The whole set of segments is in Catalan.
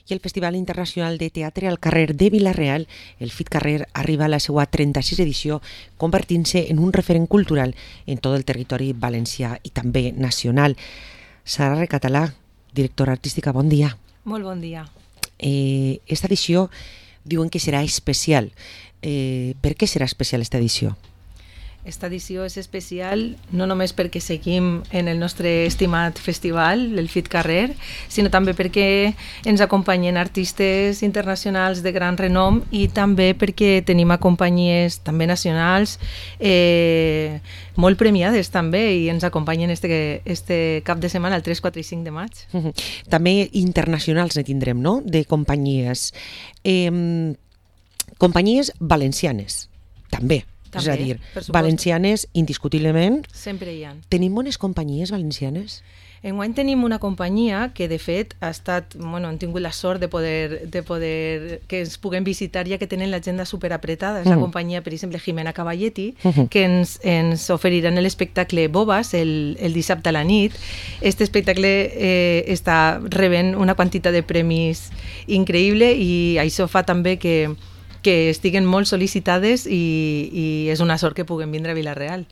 i el Festival Internacional de Teatre al carrer de Vila-real, el FIT Carrer, arriba a la seva 36 edició, convertint-se en un referent cultural en tot el territori valencià i també nacional. Sara Recatalà, directora artística, bon dia. Molt bon dia. Esta edició diuen que serà especial. Per què serà especial esta edició? Esta edició és especial no només perquè seguim en el nostre estimat festival, el FIT Carrer, sinó també perquè ens acompanyen artistes internacionals de gran renom i també perquè tenim a companyies també nacionals molt premiades també i ens acompanyen este cap de setmana, el 3, 4 i 5 de maig. També internacionals ne tindrem, no?, de companyies. Companyies valencianes, també. És a dir, valencianes, indiscutiblement. Sempre hi ha. Tenim bones companyies valencianes? Enguany tenim una companyia que, de fet, ha estat, hem tingut la sort de poder que ens puguem visitar, ja que tenen l'agenda superapretada. És la companyia, per exemple, Jimena Cavalletti, que ens oferiran l'espectacle Bobas el dissabte a la nit. Este espectacle està rebent una quantitat de premis increïble i això fa també que estiguen molt sol·licitades i és una sort que puguem vindre a Vila-real.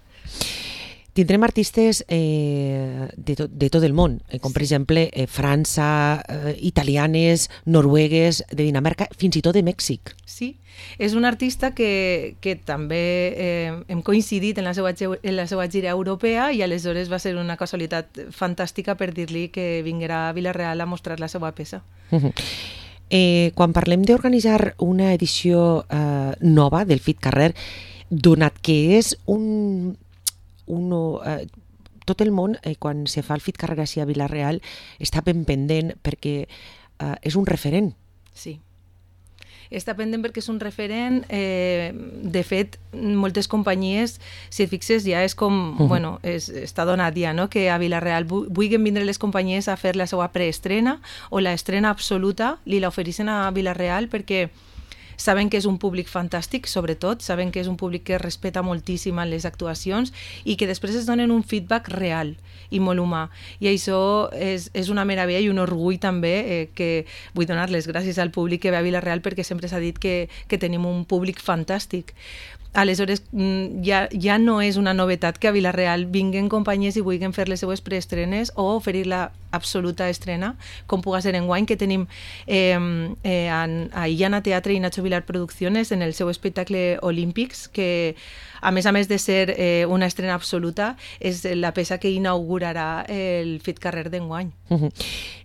Tindrem artistes de tot el món, com per exemple França, italianes, noruegues, de Dinamarca, fins i tot de Mèxic. Sí, és un artista que també hem coincidit en la seva gira europea i aleshores va ser una casualitat fantàstica per dir-li que vinguera a Vila-real a mostrar la seva peça. Quan parlem d'organitzar una edició nova del FIT Carrer, donat que és tot el món, quan se fa el FIT Carrer a Vila-real, està ben pendent perquè és un referent. Sí. Està pendent perquè és un referent. De fet, moltes companyies, si et fixes, ja és com, està donat ja, no?, que a Vila-real vulguin vindre les companyies a fer la seva preestrena o l'estrena absoluta, li l'ofereixen a Vila-real perquè saben que és un públic fantàstic, sobretot, saben que és un públic que respeta moltíssim les actuacions i que després es donen un feedback real i molt humà. I això és una meravella i un orgull també, que vull donar les gràcies al públic que ve a Vila-real perquè sempre s'ha dit que tenim un públic fantàstic. Aleshores, ja no és una novetat que a Vila-real vinguen companyies i vulguin fer les seues preestrenes o oferir la absoluta estrena, com puga ser enguany, que tenim a Illana Teatre i Nacho Vilar Producciones en el seu espectacle Olímpics, que a més de ser una estrena absoluta, és la peça que inaugurarà el FIT Carrer d'enguany.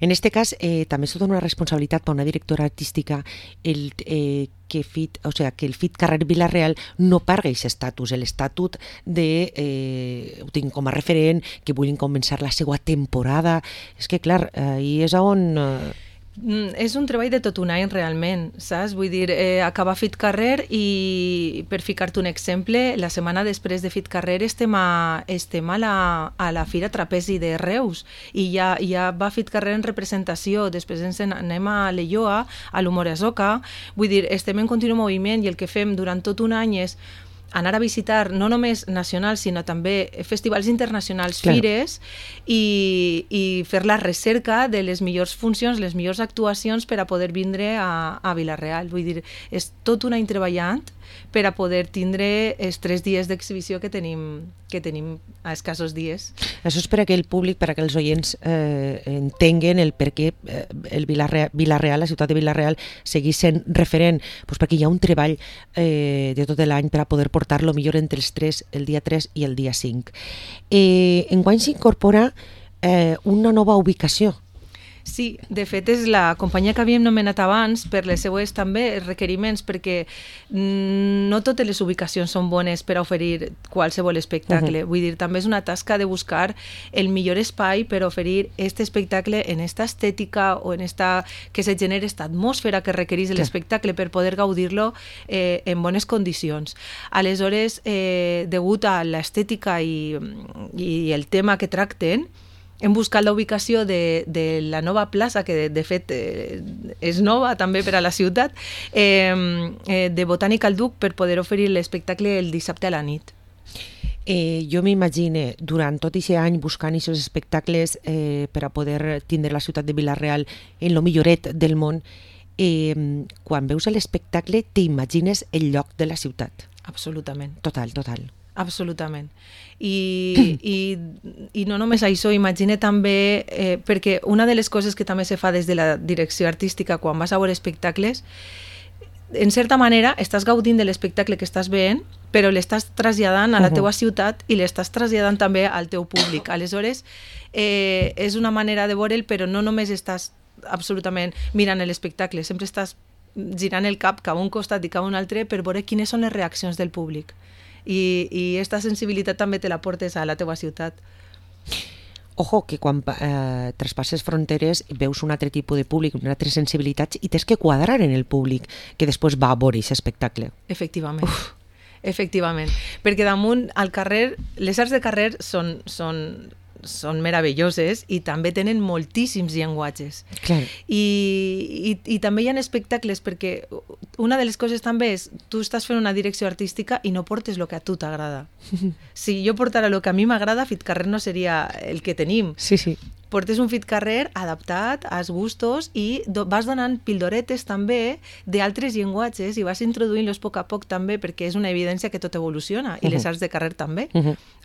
En este cas, també és tota una responsabilitat per una directora artística que el FIT Carrer Vila-real no perdi aquest estatus, l'estatut de ho tinc com a referent, que vulguin començar la seva temporada. És que, clar, i és on... És un treball de tot un any, realment, saps? Vull dir, acabar FIT Carrer i, per ficar-te un exemple, la setmana després de FIT Carrer estem a la Fira Trapezi de Reus i ja va FIT Carrer en representació, després ens anem a l'Elloa, a l'Humoresoca, vull dir, estem en continu moviment i el que fem durant tot un any és anar a visitar no només nacionals, sinó també festivals internacionals, fires, i fer la recerca de les millors funcions, les millors actuacions per a poder vindre a Vila-real. Vull dir, és tot un any treballant per a poder tindre els 3 dies d'exhibició que tenim a escassos dies. Això és per a que el públic, per a que els oients entenguen el per què el Vila-real, la ciutat de Vila-real, seguís sent referent, perquè hi ha un treball de tot l'any per a poder portar-lo millor entre els 3, el dia 3 i el dia 5. Enguany s'incorpora una nova ubicació. Sí, de fet és la companyia que havíem nomenat abans per les seues també requeriments, perquè no totes les ubicacions són bones per a oferir qualsevol espectacle. Vull dir, també és una tasca de buscar el millor espai per oferir aquest espectacle en esta estètica o en que se generi esta atmosfera que requereix l'espectacle per poder gaudir-lo en bones condicions. Aleshores, degut a l'estètica i el tema que tracten, hem buscat la ubicació de la nova plaça, que de fet és nova també per a la ciutat, de Botànica al Duc, per poder oferir l'espectacle el dissabte a la nit. Jo m'imagine, durant tot aquest any buscant aquests espectacles per a poder tindre la ciutat de Vila-real en lo milloret del món, quan veus l'espectacle t'imagines el lloc de la ciutat. Absolutament. Total. Absolutament. I no només això, imagine també, perquè una de les coses que també se fa des de la direcció artística quan vas a veure espectacles, en certa manera estàs gaudint de l'espectacle que estàs veient, però l'estàs traslladant a la teua ciutat i l'estàs traslladant també al teu públic. Aleshores, és una manera de veure'l, però no només estàs absolutament mirant l'espectacle, sempre estàs girant el cap cap a un costat i cap a un altre per veure quines són les reaccions del públic. I aquesta sensibilitat també te la portes a la teva ciutat. Ojo, que quan traspasses fronteres veus un altre tipus de públic, unes altres sensibilitats i tens que quadrar en el públic que després va a veure aquest espectacle. Efectivament. Efectivament. Perquè damunt, al carrer, les arts de carrer són meravelloses i també tenen moltíssims llenguatges. Clar. I també hi ha espectacles, perquè una de les coses també és tu estàs fent una direcció artística i no portes el que a tu t'agrada. Si jo portara el que a mi m'agrada, Fitcarrer no seria el que tenim. Sí. Portes un Fitcarrer adaptat als gustos i vas donant pildoretes també d'altres llenguatges i vas introduint-los a poc a poc també, perquè és una evidència que tot evoluciona i les arts de carrer també.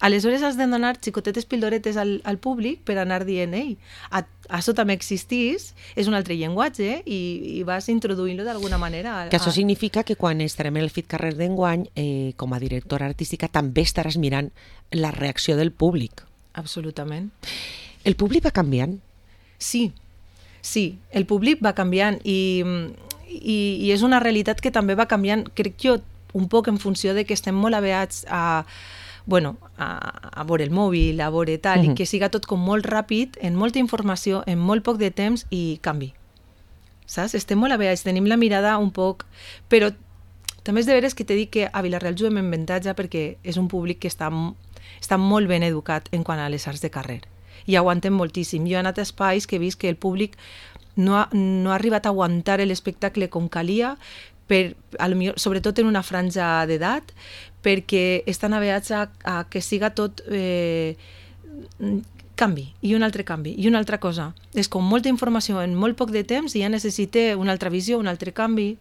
Aleshores has de donar xicotetes pildoretes al públic per anar dient, ei, això també existís, és un altre llenguatge i vas introduint-lo d'alguna manera. Que això significa que quan estarem en el Fitcarrer d'enguany, com a directora artística, també estaràs mirant la reacció del públic. Absolutament. El públic va canviant? Sí, el públic va canviant i és una realitat que també va canviant, crec jo, un poc en funció de que estem molt aveats a veure el mòbil, a veure tal, i que siga tot com molt ràpid, en molta informació, en molt poc de temps i canvi. Saps? Estem molt aveats, tenim la mirada un poc... Però també és de veres que t'he dit que a Vila-real juguem en avantatge perquè és un públic que està molt ben educat en quant a les arts de carrer. I aguanten moltíssim. Jo he anat a espais que he vist que el públic no ha arribat a aguantar l'espectacle com calia, sobretot en una franja d'edat, perquè estan aveats a que siga tot canvi, i un altre canvi, i una altra cosa. És com molta informació en molt poc de temps i ja necessita una altra visió, un altre canvi.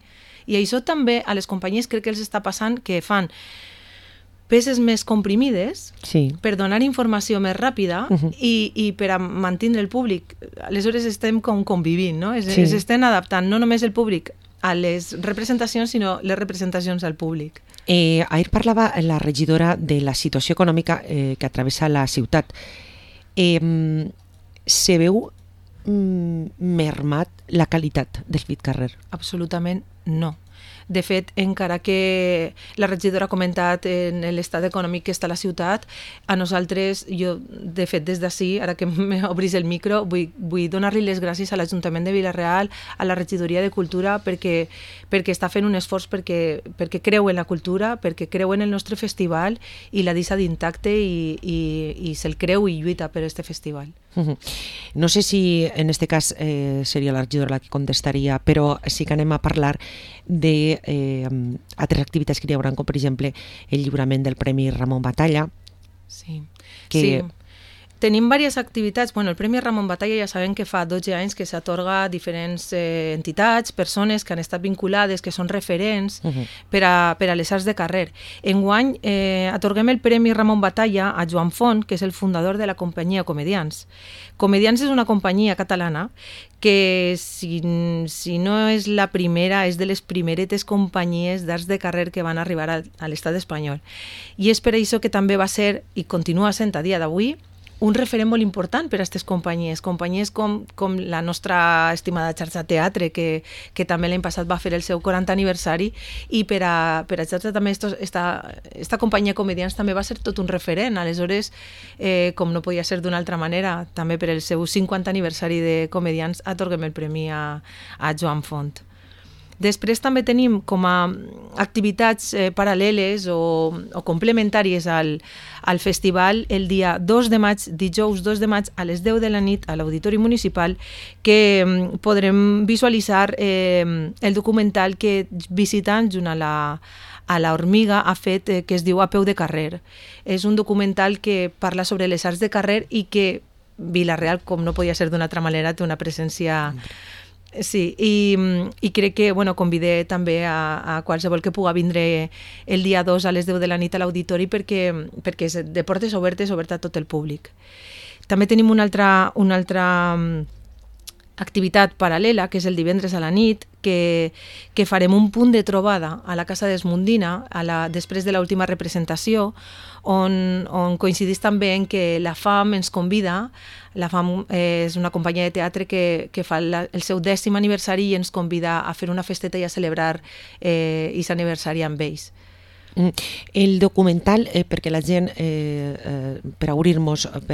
I això també a les companyies crec que els està passant que fan peces més comprimides per donar informació més ràpida i per a mantenir el públic. Aleshores estem com convivint, no? S'estan adaptant no només el públic a les representacions, sinó les representacions al públic. Ahir parlava la regidora de la situació econòmica que atravessa la ciutat. Se veu mermat la qualitat del Fitcarrer? Absolutament no. De fet, encara que la regidora ha comentat en l'estat econòmic que està la ciutat, a nosaltres, jo, de fet, des d'ací, ara que m'obris el micro, vull donar-li les gràcies a l'Ajuntament de Vila-real, a la regidoria de Cultura, perquè està fent un esforç perquè creu en la cultura, perquè creu en el nostre festival i la deixa d'intacte i se'l creu i lluita per aquest festival. No sé si en este cas seria la regidora la que contestaria, però sí que anem a parlar de altres activitats que hi haurà, com per exemple el lliurament del Premi Ramon Batalla. Sí. Tenim diverses activitats. Bueno, el Premi Ramon Batalla ja sabem que fa 12 anys que s'atorga a diferents entitats, persones que han estat vinculades, que són referents per a les arts de carrer. Enguany atorguem el Premi Ramon Batalla a Joan Font, que és el fundador de la companyia Comedians. Comedians és una companyia catalana que, si no és la primera, és de les primeretes companyies d'arts de carrer que van arribar a l'estat espanyol. I és per això que també va ser, i continua sent a dia d'avui, un referent molt important per a aquestes companyies com la nostra estimada xarxa teatre, que també l'any passat va fer el seu 40 aniversari, i per a xarxa també esta companyia Comedians també va ser tot un referent. Aleshores, com no podia ser d'una altra manera, també per el seu 50 aniversari de Comedians atorguem el premi a Joan Font. Després també tenim com a activitats paral·leles o complementàries al festival el dia 2 de maig, dijous 2 de maig a les 10 de la nit a l'Auditori Municipal, que podrem visualitzar el documental que Visitant junt a la Hormiga ha fet, que es diu A peu de carrer. És un documental que parla sobre les arts de carrer i que Vila-real, com no podia ser d'una altra manera, té una presència... Sí, i crec que convidé també a qualsevol que puga vindre el dia 2 a les 10 de la nit a l'auditori perquè és de portes obertes, obert a tot el públic. També tenim una altra activitat paral·lela, que és el divendres a la nit, que farem un punt de trobada a la Casa d'Esmundina després de l'última representació, on coincidís també en que la FAM ens convida. La FAM és una companyia de teatre que fa el seu 10è aniversari i ens convida a fer una festeta i a celebrar aquest aniversari amb ells. El documental, perquè la gent, per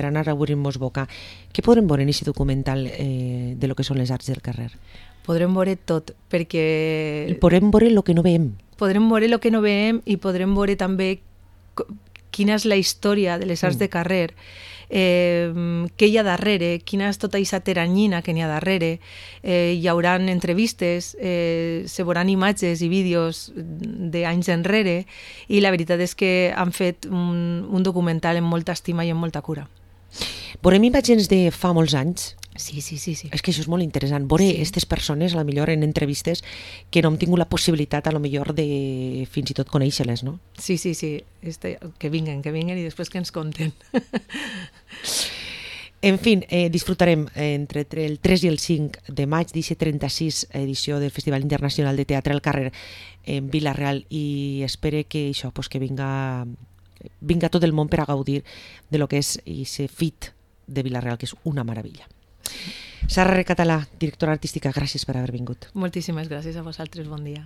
anar a obrir-nos boca, què podrem veure en aquest documental de lo que són les arts del carrer? Podrem veure tot, perquè... Podrem veure el que no veiem. Podrem veure el que no veiem i podrem veure també quina és la història de les arts de carrer, què hi ha darrere, quina és tota aquesta teranyina que n'hi ha darrere. Hi haurà entrevistes, se veuran imatges i vídeos d'anys enrere i la veritat és que han fet un documental amb molta estima i amb molta cura. Veurem imatges de fa molts anys? Sí. És que això és molt interessant. Veure aquestes persones, a lo millor en entrevistes, que no hem tingut la possibilitat, a lo millor, de fins i tot conèixer-les, no? Sí. Que vinguen i després que ens conten. En fi, disfrutarem entre el 3 i el 5 de maig d'aquesta 36 edició del Festival Internacional de Teatre al Carrer en Vila-real i espero que això, que vinga tot el món per a gaudir de lo que és aquest FIT de Vila-real, que és una meravella. Sara Recatalà, directora artística, gràcies per haver vingut. Moltíssimes gràcies a vosaltres, bon dia.